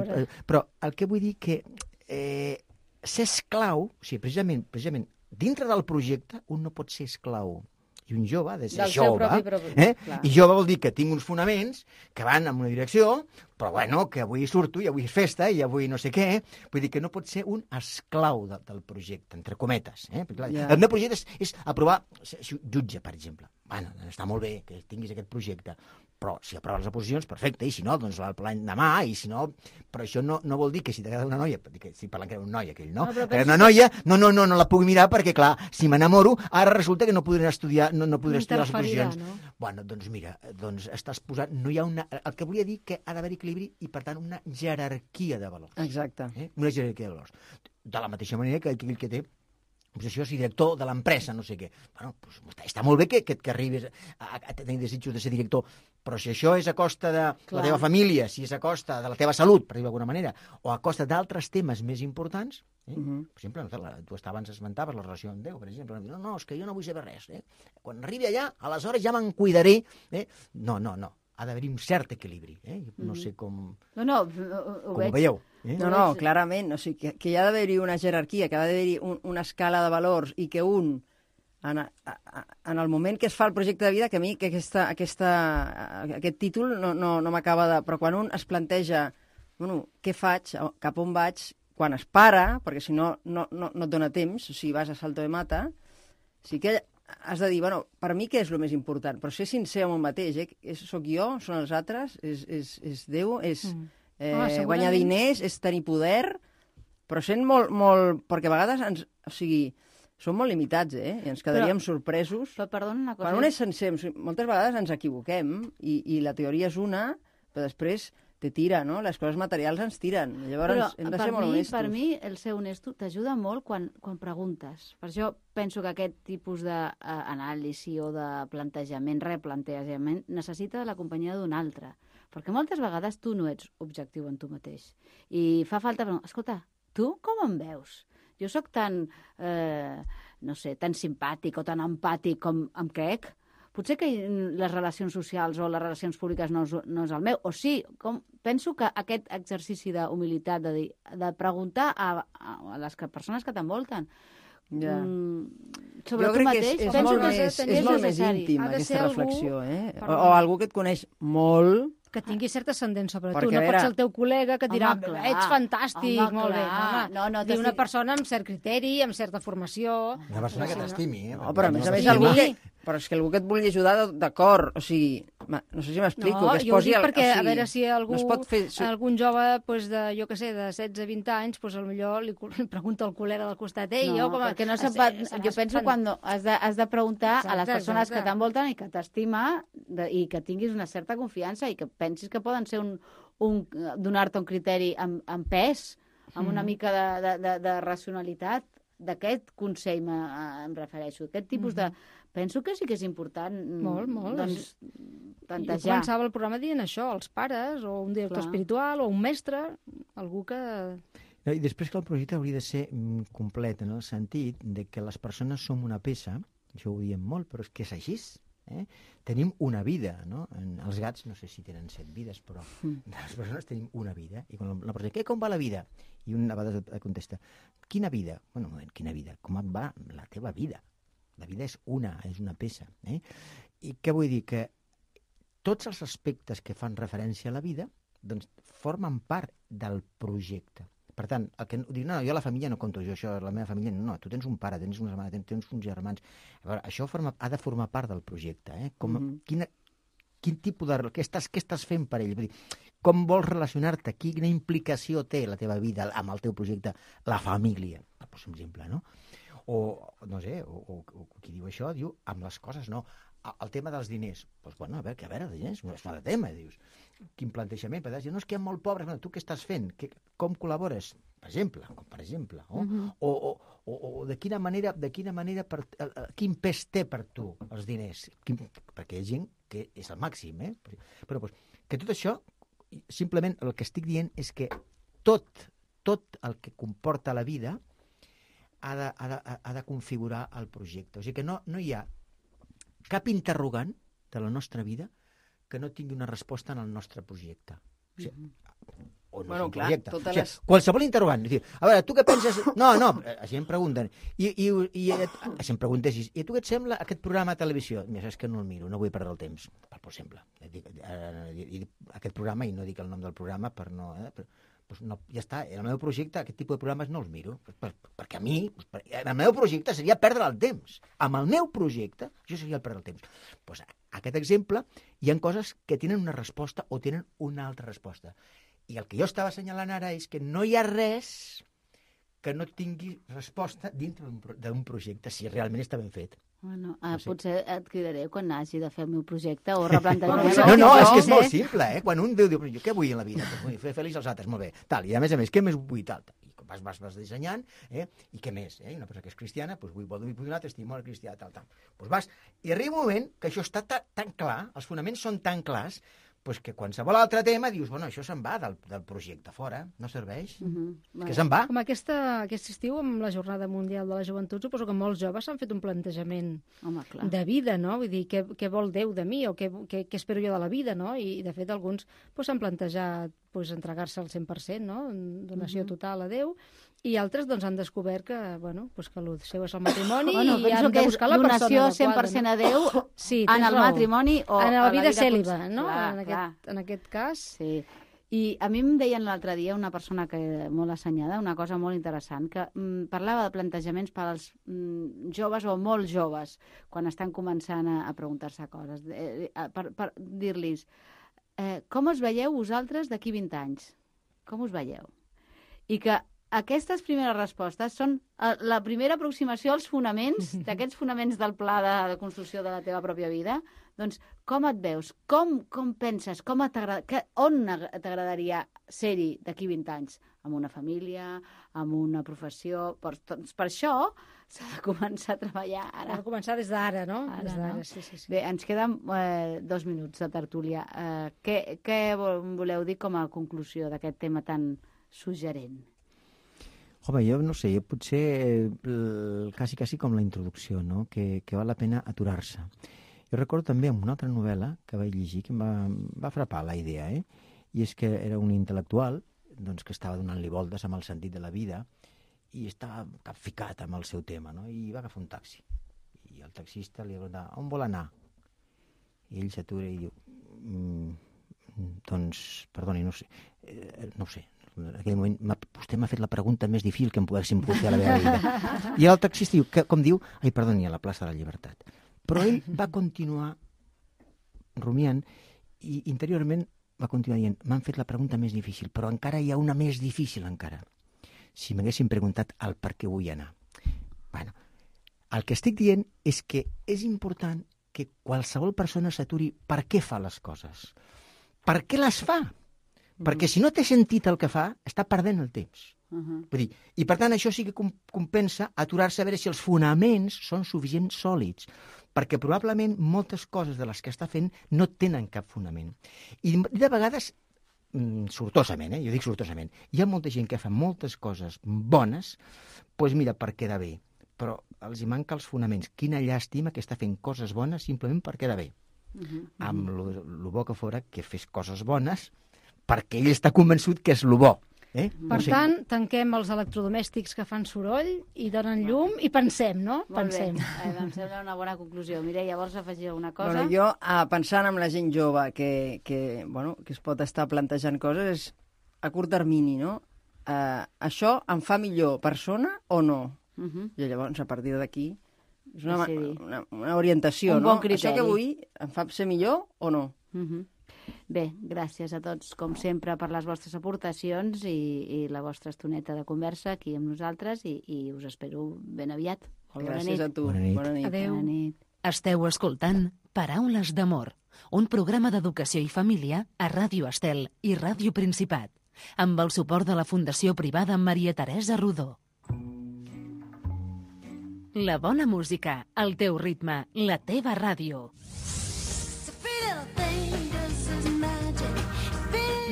però el que vull dir que ser esclau, o sigui, precisament, dintre del projecte, un no pot ser esclau. I un jove ha de ser jove, i jove vol dir que tinc uns fonaments que van en una direcció, però que avui surto i avui és festa i avui no sé què, vull dir que no pot ser un esclau del projecte, entre cometes. El meu projecte és aprovar jutge, per exemple. Està molt bé que tinguis aquest projecte, però si aproves les oposicions, perfecte, i si no, doncs l'any demà, i si no... Però això no vol dir que si t'agrada una noia, estic parlant que era un noi aquell, no? Una noia, no la puc mirar perquè, clar, si m'enamoro, ara resulta que no podré estudiar, no podré estudiar les oposicions. Doncs mira, estàs posant... No hi ha una... El que volia dir que ha d'haver equilibri i, per tant, una jerarquia de valors. Exacte. Una jerarquia de valors. De la mateixa manera que aquell que té això és director de l'empresa, no sé què. Està molt bé que arribis a tenir desitjos de ser director, però si això és a costa de la teva família, si és a costa de la teva salut, per dir-ho d'alguna manera, o a costa d'altres temes més importants, per exemple, tu abans esmentaves la relació amb Déu, per exemple, no, és que jo no vull saber res. Quan arribi allà, aleshores ja me'n cuidaré. No. Ha d'haver-hi un cert equilibri. No sé com... ho veig. Veieu. No, clarament. O sigui, que hi ha d'haver-hi una jerarquia, que ha d'haver-hi una escala de valors i que un, en el moment que es fa el projecte de vida, que a mi que aquest títol no m'acaba de... Però quan un es planteja, què faig, cap on vaig, quan es para, perquè si no et dona temps, o sigui, vas a salto de mata, sí que has de dir, per mi què és el més important? Però ser sincer amb un mateix, soc jo, són els altres, és Déu, és guanyar diners, és tenir poder, però sent molt... Perquè a vegades som molt limitats, i ens quedaríem sorpresos. Però perdona una cosa... Quan un és sencer, moltes vegades ens equivoquem, i la teoria és una, però després te tira, no? Les coses materials ens tiren. Llavors hem de ser molt honestos. Per mi, el ser honesto t'ajuda molt quan preguntes. Per això penso que aquest tipus d'anàlisi o de replantejament, necessita la companyia d'un altre. Perquè moltes vegades tu no ets objectiu en tu mateix. I fa falta... Escolta, tu com em veus? Jo sóc tan, tan simpàtic o tan empàtic com em crec? Potser que les relacions socials o les relacions públiques no és el meu. O sí, penso que aquest exercici d'humilitat, de preguntar a les persones que t'envolten sobre tu mateix, penso que és molt més íntim, aquesta reflexió. O algú que et coneix molt... Que tingui cert ascendent sobre tu. No pot ser el teu col·lega que et dirà, ets fantàstic, molt bé. No, una persona amb cert criteri, amb certa formació... Una persona que t'estimi, No, però a més algú que... Però és que algú que et vulgui ajudar, d'acord, o sigui, no sé si m'explico, que es jo ho posi... dic perquè, a veure si no es pot fer... algun jove, de, jo què sé, de 16-20 anys, potser li pregunta al col·lega del costat, perquè no se'n pot... Jo penso quan has de preguntar a les persones que t'envolten i que t'estima i que tinguis una certa confiança i que pensis que poden ser donar-te un criteri amb pes, amb una mica de racionalitat. D'aquest consell em refereixo. Aquest tipus de... Penso que sí que és important doncs, plantejar. Jo començava el programa dient això, els pares, o un director espiritual, o un mestre, algú que... I després que el projecte hauria de ser complet, en el sentit de que les persones som una peça, això ho diem molt, però és que és així. Tenim una vida, no? Els gats no sé si tenen 7 vides, però les persones tenim una vida. I quan la persona diu, com va la vida? I una vegada contesta, quina vida? Bueno, un moment, quina vida? Com va la teva vida? La vida és una peça. I què vull dir? Que tots els aspectes que fan referència a la vida doncs, formen part del projecte. Per tant, el que dic, no, jo a la família no conto, jo això, la meva família, no, tu tens un pare, tens una germana, tens uns germans. A veure, això ha de formar part del projecte. Quin tipus de... Què estàs fent per ell? Vull dir, com vols relacionar-te? Quina implicació té la teva vida amb el teu projecte, la família, per posar un exemple, no? O, no sé, o qui diu això, diu, amb les coses, no. El tema dels diners, doncs, bueno, a veure, els diners, no és un altre tema, dius. Quin plantejament, però dius, no, és que hi ha molt pobres, bueno, tu què estàs fent? Com col·labores? Per exemple, o de quina manera, quin pes té per tu els diners? Perquè hi ha gent que és el màxim, Però doncs, que tot això, simplement el que estic dient és que tot el que comporta la vida ha de configurar el projecte. O sigui que no hi ha cap interrogant de la nostra vida que no tingui una resposta en el nostre projecte. O sigui, o no és un projecte. O sigui, qualsevol interrogant. A veure, tu què penses? No, així em pregunten. I així em preguntes, i tu què et sembla aquest programa de televisió? Mira, saps que no el miro, no vull perdre el temps, per exemple. Aquest programa, i no dic el nom del programa per no... Doncs no, ja està, en el meu projecte aquest tipus de programes no els miro, perquè a mi, el meu projecte seria perdre el temps. Amb el meu projecte, això seria el perdre el temps. Doncs aquest exemple, hi ha coses que tenen una resposta o tenen una altra resposta. I el que jo estava assenyalant ara és que no hi ha res que no tingui resposta dintre d'un projecte, si realment està ben fet. Bueno, potser et cridaré quan hagi de fer el meu projecte o replantejar. No, és que és molt simple, Quan un diu, jo què vull en la vida? Vull fer feliç els altres, molt bé. Tal, i a més, què més vull? Tal. I vas dissenyant, i què més? Una persona que és cristiana, doncs vull donar testimoni cristià, tal. Doncs vas, i arriba un moment que això està tan clar, els fonaments són tan clars, pues que qualsevol altre tema dius, bueno, això se'n va del projecte fora, no serveix, que se'n va. Com aquest estiu, amb la Jornada Mundial de la Joventut, suposo que molts joves s'han fet un plantejament de vida, no? Vull dir, què vol Déu de mi, o què espero jo de la vida, no? I de fet, alguns s'han plantejat entregar-se al 100%, no? Donació total a Déu, i altres han descobert que, que el seu és el matrimoni i han de buscar la persona adequada. Donació 100% a Déu en el matrimoni o en la vida cèl·liba, no? En aquest cas. Sí. I a mi em deien l'altre dia una persona molt assenyada, una cosa molt interessant, que parlava de plantejaments per als joves o molt joves, quan estan començant a preguntar-se coses, per dir-los com us veieu vosaltres d'aquí 20 anys? Com us veieu? I que aquestes primeres respostes són la primera aproximació als fonaments, d'aquests fonaments del pla de construcció de la teva pròpia vida. Doncs com et veus? Com penses? On t'agradaria ser-hi d'aquí 20 anys? Amb una família, amb una professió... Per això s'ha de començar a treballar ara. S'ha de començar des d'ara, no? Des d'ara, sí. Bé, ens queden 2 minuts de tertúlia. Què voleu dir com a conclusió d'aquest tema tan suggerent? Home, jo no sé, potser quasi com la introducció, no? Que val la pena aturar-se. Jo recordo també amb una altra novel·la que vaig llegir que em va frapar la idea, i és que era un intel·lectual doncs, que estava donant-li voltes amb el sentit de la vida i estava capficat amb el seu tema, no? I va agafar un taxi. I el taxista li va preguntar, on vol anar? I ell s'atura i diu, doncs, perdoni, no sé. En aquell moment vostè m'ha fet la pregunta més difícil que em poguéssim pogut fer a la meva vida. I el taxista diu, com diu? Ai, perdoni, a la plaça de la Llibertat. Però ell va continuar rumiant i interiorment va continuar dient, m'han fet la pregunta més difícil, però encara hi ha una més difícil encara. Si m'haguessin preguntat el per què vull anar. Bueno, el que estic dient és que és important que qualsevol persona s'aturi per què fa les coses. Per què les fa? Perquè si no té sentit el que fa, està perdent el temps. Vull dir, i per tant això sí que compensa aturar-se a veure si els fonaments són suficients sòlids, perquè probablement moltes coses de les que està fent no tenen cap fonament. I de vegades, sortosament, jo dic sortosament, hi ha molta gent que fa moltes coses bones, doncs mira, per quedar bé, però els hi manca els fonaments. Quina llàstima que està fent coses bones simplement per quedar bé. Amb lo bo que fora que fes coses bones perquè ell està convençut que és lo bo. Per tant, tanquem els electrodomèstics que fan soroll i donen llum i pensem, no? Pensem. Em sembla una bona conclusió. Mireia, vols afegir alguna cosa? Bueno, jo, pensant en la gent jove que es pot estar plantejant coses, és a curt termini, no? Això em fa millor persona o no? I llavors, a partir d'aquí, és una orientació, un bon criteri. Això que vull em fa ser millor o no? Bé, gràcies a tots, com sempre, per les vostres aportacions i la vostra estoneta de conversa aquí amb nosaltres i us espero ben aviat. Gràcies a tu. Bona nit. Bona nit. Adéu. Bona nit. Esteu escoltant Paraules d'amor, un programa d'educació i família a Ràdio Estel i Ràdio Principat, amb el suport de la Fundació Privada Maria Teresa Rodó. La bona música, el teu ritme, la teva ràdio.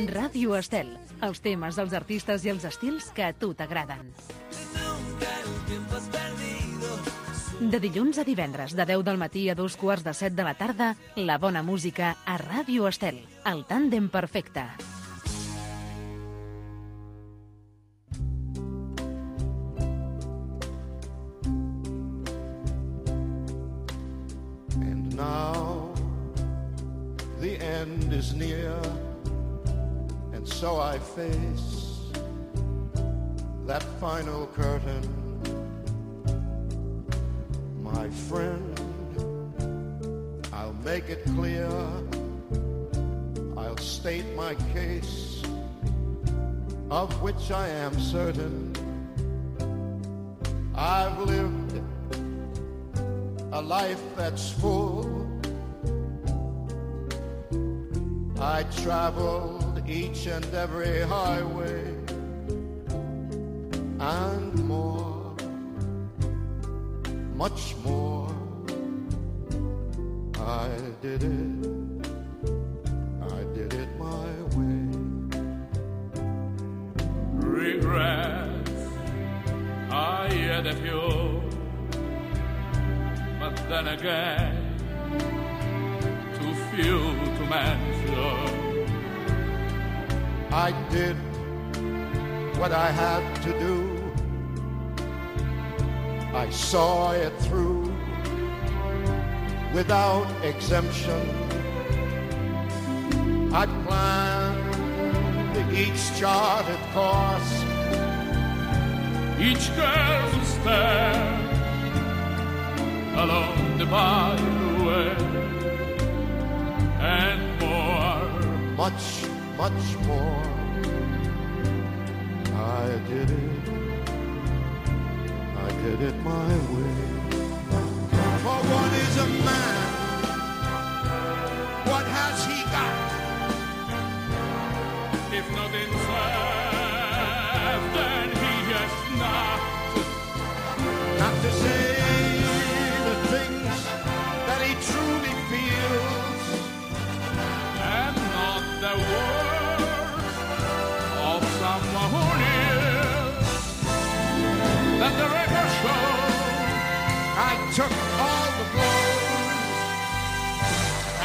Ràdio Estel, els temes, els artistes i els estils que a tu t'agraden. De dilluns a divendres, de 10 del matí a 2:15 de la tarda, la bona música a Ràdio Estel, el tàndem perfecte. And now the end is near, and so I face that final curtain. My friend, I'll make it clear, I'll state my case, of which I am certain. I've lived a life that's full. I traveled each and every highway and more, much more. I did it my way. Regrets, I had a few, but then again, too few to mention. I did what I had to do. I saw it through without exemption. I planned each charted course, Each girl's stare along the byway, and more. much, much more. I did it my way. For what is a man? What has he got? If not himself, then he has not. Not to say the things that he truly feels, And not the words of someone who lives. Let the record show I took all the blows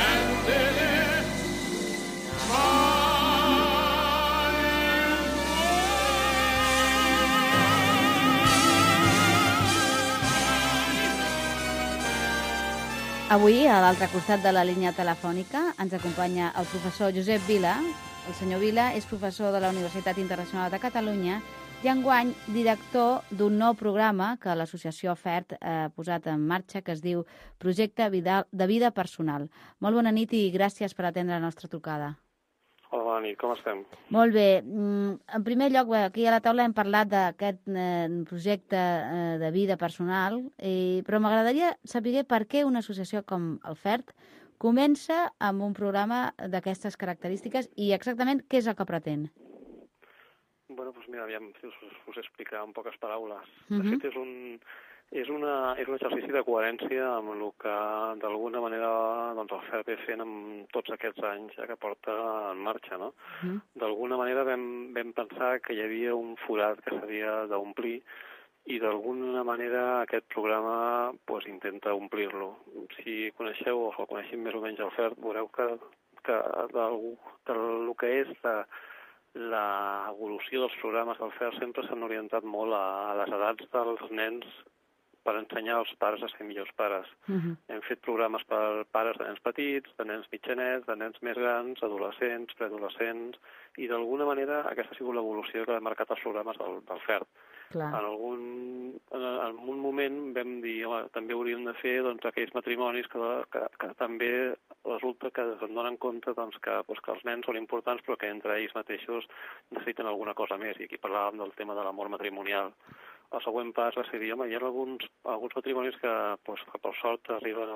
and did it my Avui, a l'altre costat de la línia telefònica, ens acompanya el professor Josep Vila. El senyor Vila és professor de la Universitat Internacional de Catalunya i enguany director d'un nou programa que l'associació FERT ha posat en marxa, que es diu Projecte de Vida Personal. Molt bona nit i gràcies per atendre la nostra trucada. Hola, bona nit, com estem? Molt bé. En primer lloc, aquí a la taula hem parlat d'aquest projecte de vida personal, però m'agradaria saber per què una associació com el FERT comença amb un programa d'aquestes característiques i exactament què és el que pretén. Bueno, doncs mira, aviam si us explicar en poques paraules. De fet, és un exercici de coherència amb el que d'alguna manera el FERT ve fent amb tots aquests anys que porta en marxa, no? D'alguna manera vam pensar que hi havia un forat que s'havia d'omplir i d'alguna manera aquest programa intenta omplir-lo. Si coneixeu o coneixem més o menys el FERT, veureu que el que és l'evolució dels programes del FERT sempre s'han orientat molt a les edats dels nens per ensenyar als pares a ser millors pares. Hem fet programes per pares de nens petits, de nens mitjanets, de nens més grans, adolescents, preadolescents, i d'alguna manera aquesta ha sigut l'evolució que ha marcat els programes del FERT. En un moment vam dir, home, també hauríem de fer aquells matrimonis que també resulta que es donen compte que els nens són importants però que entre ells mateixos necessiten alguna cosa més, i aquí parlàvem del tema de l'amor matrimonial. El següent pas va ser dir, home, hi ha alguns matrimonis que per sort arriben a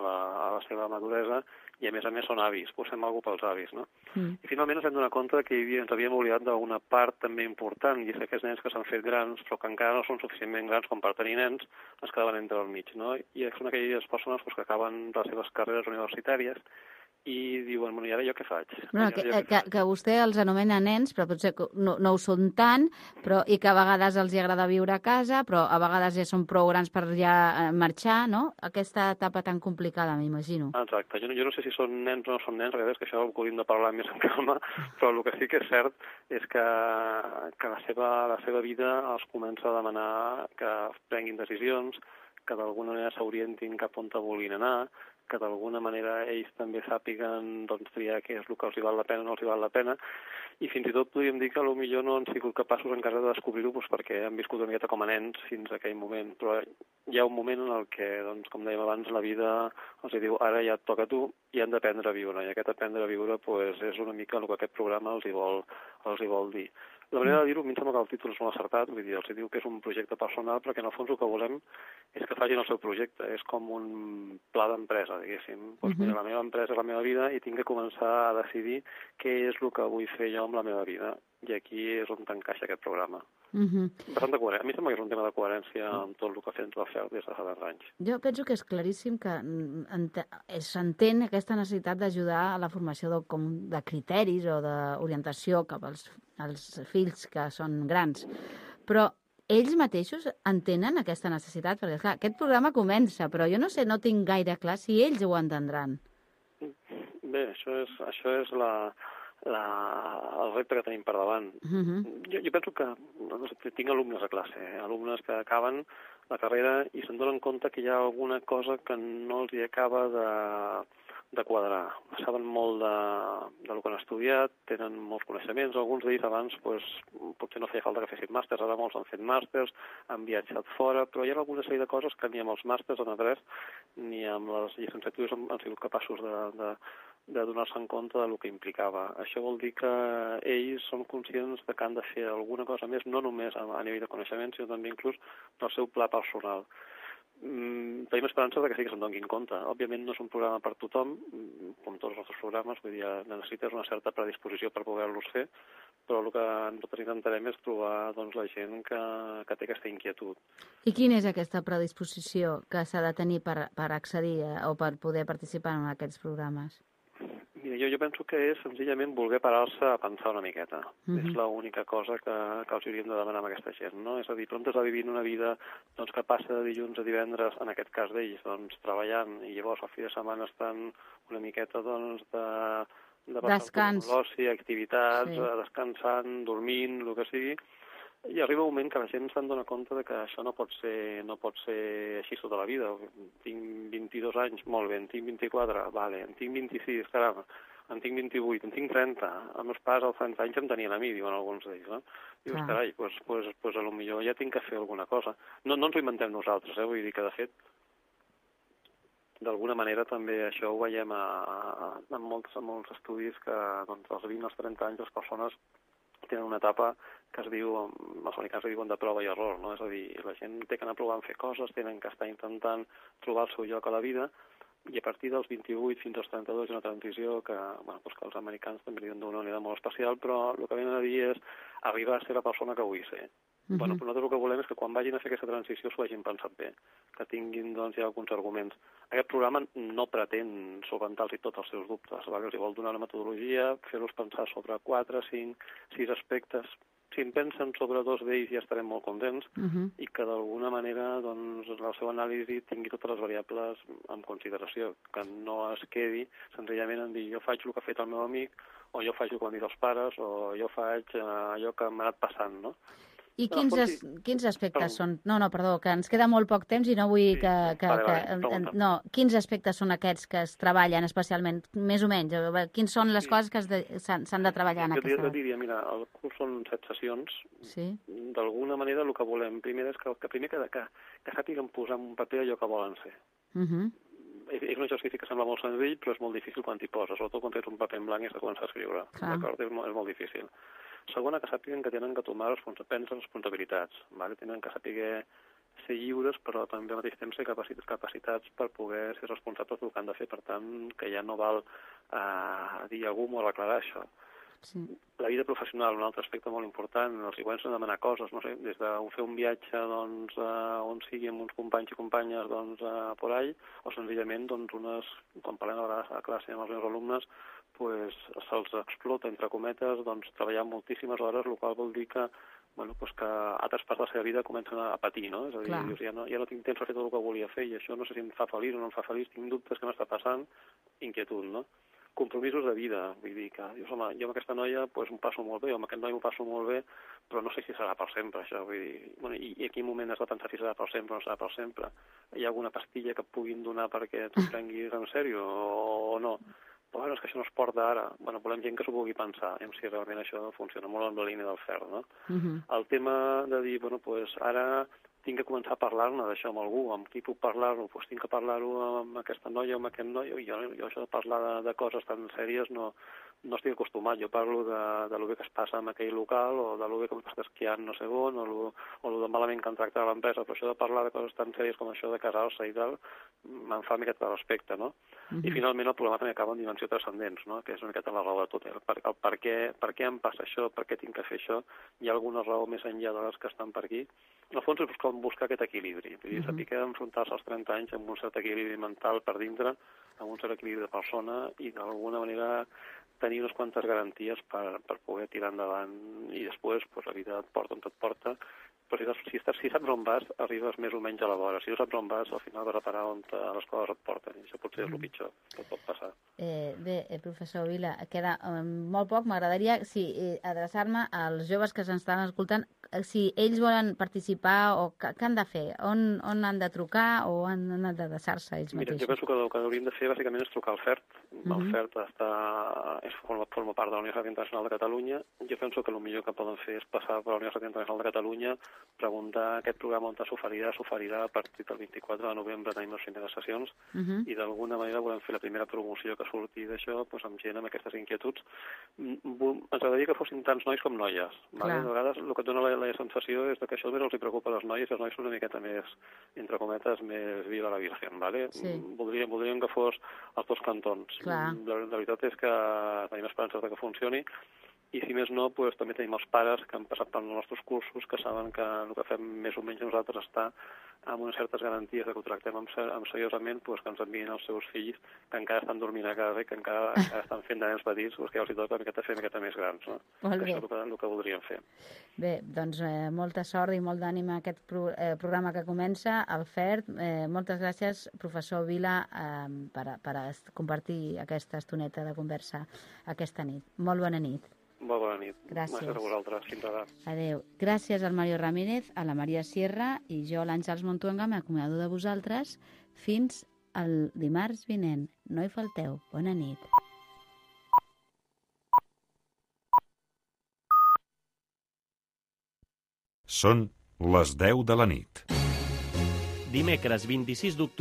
la seva maduresa i a més són avis, posem alguna cosa pels avis, no? I finalment ens vam donar compte que ens havíem oblidat d'una part també important, i és que aquests nens que s'han fet grans però que encara no són suficientment grans com per tenir nens, es quedaven entre el mig, no? I són aquelles persones que acaben les seves carreres universitàries i diuen, bueno, i ara jo què faig? Que vostè els anomena nens, però potser no ho són tant, i que a vegades els agrada viure a casa, però a vegades ja són prou grans per ja marxar, no? Aquesta etapa tan complicada, m'imagino. Exacte. Jo no sé si són nens o no són nens, perquè és que això ho hauríem de parlar més en calma, però el que sí que és cert és que la seva vida els comença a demanar que prenguin decisions, que d'alguna manera s'orientin cap on vulguin anar, que d'alguna manera ells també sàpiguen triar què és el que els hi val la pena o no els hi val la pena, i fins i tot podríem dir que potser no han sigut capaços encara de descobrir-ho perquè han viscut una miqueta com a nens fins a aquell moment, però hi ha un moment en el que, com dèiem abans, la vida els diu, ara ja et toca a tu i han d'aprendre a viure, i aquest aprendre a viure és una mica el que aquest programa els hi vol dir. La manera de dir-ho, a mi em sembla que el títol és molt acertat, vull dir, els diu que és un projecte personal, perquè en el fons el que volem és que facin el seu projecte, és com un pla d'empresa, diguéssim. Mira, la meva empresa és la meva vida i tinc que començar a decidir què és el que vull fer jo amb la meva vida, i aquí és on t'encaixa aquest programa. Bastant de coherència. A mi sembla que és un tema de coherència amb tot el que ha fet la FERT des de fa 10 anys. Jo penso que és claríssim que s'entén aquesta necessitat d'ajudar a la formació de criteris o d'orientació cap als fills que són grans. Però ells mateixos entenen aquesta necessitat? Perquè, clar, aquest programa comença, però jo no tinc gaire clar si ells ho entendran. Bé, això és el repte que tenim per davant. Jo penso que tinc alumnes a classe, alumnes que acaben la carrera i se'n donen compte que hi ha alguna cosa que no els hi acaba de quadrar. Saben molt del que han estudiat, tenen molts coneixements, alguns d'ells abans potser no feia falta que fessin màsters, ara molts han fet màsters, han viatjat fora, però hi ha alguna sèrie de coses que ni amb els màsters han après ni amb les llicenciatures han sigut capaços de donar-se en compte del que implicava. Això vol dir que ells són conscients que han de fer alguna cosa més, no només a nivell de coneixement, sinó també inclús del seu pla personal. Tenim esperança que sí que se'n donin compte. Òbviament no és un programa per tothom, com tots els nostres programes, vull dir, necessites una certa predisposició per poder-los fer, però el que nosaltres intentarem és trobar la gent que té aquesta inquietud. I quina és aquesta predisposició que s'ha de tenir per accedir o per poder participar en aquests programes? Mira, jo penso que és senzillament voler parar-se a pensar una miqueta. És l'única cosa que els hauríem de demanar a aquesta gent, no? És a dir, però on està vivint una vida que passa de dilluns a divendres, en aquest cas d'ells, treballant, i llavors al fi de setmana estan una miqueta de descans, l'oci, activitats, descansant, dormint, el que sigui. I arriba un moment que la gent se'n dona compte que això no pot ser així tota la vida. Tinc 22 anys, molt bé, en tinc 24, vale, en tinc 26, caram. en tinc 28, en tinc 30, els meus pares als 30 anys em tenien a mi, diuen alguns d'ells, no? Dius, carai, doncs potser ja tinc que fer alguna cosa. No ens ho inventem nosaltres, vull dir que, de fet, d'alguna manera també això ho veiem en molts estudis que doncs, als 20 als 30 anys les persones tenen una etapa que es diu, els americans ho diuen de prova i error, no? És a dir, la gent té que anar provant fer coses, tenen que estar intentant trobar el seu lloc a la vida, i a partir dels 28 fins als 32 hi ha una transició que, bueno, doncs que els americans també li donen d'una manera molt especial, però el que venen a dir és arribar a ser la persona que vull ser. Bueno, però nosaltres el que volem és que quan vagin a fer aquesta transició s'ho hagin pensat bé, que tinguin doncs, ja alguns arguments. Aquest programa no pretén solventar-los tots els seus dubtes, els vol donar una metodologia, fer-los pensar sobre 4, 5, 6 aspectes. Si en pensen sobre 2 d'ells ja estarem molt contents i que d'alguna manera doncs, la seva anàlisi tingui totes les variables en consideració, que no es quedi senzillament en dir jo faig el que ha fet el meu amic, o jo faig el que han dit els pares, o jo faig allò que m'ha anat passant, no? I quins aspectes són? No, perdó, que ens queda molt poc temps i no vull no, quins aspectes són aquests que es treballen especialment, més o menys? Quins són les coses que s'han de treballar en aquesta? Jo diria, mira, el curs són 7 sessions. D'alguna manera el que volem primer és que sàpiguen posar en un paper allò que volen ser. És un exercici que sembla molt senzill, però és molt difícil quan t'hi poses, sobretot quan tens un paper en blanc i has de començar a escriure. D'acord? És molt difícil. Segona, que sàpiguen que tenen que tomar responsabilitats, tenen que saber ser lliures, però també al mateix temps ser capacitats per poder ser responsables del que han de fer. Per tant, que ja no val dir a algú o aclarar això. La vida professional, un altre aspecte molt important, els següents han de demanar coses, no sé, des de fer un viatge doncs, on sigui amb uns companys i companyes doncs, por ahí, o senzillament doncs, quan parlem a classe amb els meus alumnes, pues, se'ls explota, entre cometes, doncs, treballar moltíssimes hores, el qual vol dir que, que altres parts de la seva vida comencen a patir, no? És a dir, dius, ja no tinc temps per fer tot el que volia fer i això no sé si em fa feliç o no em fa feliç, tinc dubtes que m'està passant, inquietud, no? Compromisos de vida, vull dir que dius, home, jo amb aquesta noia pues, m'ho passo molt bé, o amb aquest noi m'ho passo molt bé, però no sé si serà per sempre, això, vull dir, i a quin moment has de pensar si serà per sempre o no serà per sempre? Hi ha alguna pastilla que et puguin donar perquè tu prenguis en sèrio o no? Però és que això no es porta ara. Volem gent que s'ho vulgui pensar, si realment això funciona molt en la línia del ferro, no? El tema de dir, ara tinc que començar a parlar-ne d'això amb algú, amb qui puc parlar-ho, tinc que parlar-ho amb aquesta noia o amb aquest noi, jo això de parlar de coses tan sèries no estic acostumat, jo parlo de lo bé que es passa en aquell local, o de lo bé que m'ho està esquiant no sé on, o lo de malament que han tractat a l'empresa, però això de parlar de coses tan sèries com això de casar-se i tal, me'n fa una miqueta de respecte, no? I finalment el programa també acaba en dimensió transcendents, no? Que és una miqueta la raó de tot, el per què em passa això, per què tinc que fer això, hi ha alguna raó més enllà de les que estan per aquí. En el fons és buscar aquest equilibri, vull dir, saber enfrontar-se als 30 anys amb un cert equilibri mental per dintre, amb un cert equilibri de persona i d'alguna manera tenir unes quantes garanties per poder tirar endavant i després la vida et porta on et porta, però si saps on vas, arribes més o menys a la vora. Si no saps on vas, al final vas a parar on les coses et porten, i això potser és el pitjor que pot passar. Bé, professor Vila, queda molt poc. M'agradaria adreçar-me als joves que s'ens estan escoltant, si ells volen participar o què han de fer, on han de trucar o han d'adreçar-se ells mateixos? Mira, jo penso que el que hauríem de fer bàsicament és trucar al FERT. El FERT forma part de la Universitat Internacional de Catalunya. Jo penso que el millor que poden fer és passar per la Universitat Internacional de Catalunya, preguntar aquest programa on s'oferirà a partir del 24 de novembre, tenim les primeres sessions, i d'alguna manera volem fer la primera promoció que surti d'això amb gent amb aquestes inquietuds. Ens agradaria que fossin tants nois com noies. A vegades el que et dona la sensació és que això només els preocupa a les noies, i els nois són una miqueta més, entre cometes, més viva la virgen. Voldríem que fos als dos cantons. La veritat és que tenim esperances que funcioni, i si més no, també tenim els pares que han passat pels nostres cursos, que saben que el que fem més o menys nosaltres està amb unes certes garanties que ho tractem seriosament, que ens envien els seus fills que encara estan dormint a casa i que encara estan fent de nens petits, que ja els toca fer una miqueta més grans. Això és el que voldríem fer. Bé, doncs molta sort i molt d'ànim a aquest programa que comença, el FERT. Moltes gràcies, professor Vila, per compartir aquesta estoneta de conversa aquesta nit. Molt bona nit. Molt bona nit. Gràcies. A vosaltres. Fins ara. Adéu. Gràcies al Mario Ramírez, a la Maria Sierra i jo, l'Àngels Montuenga, m'acomiado de vosaltres fins el dimarts vinent. No hi falteu. Bona nit. Són les 10 de la nit. Dimecres 26 d'octubre.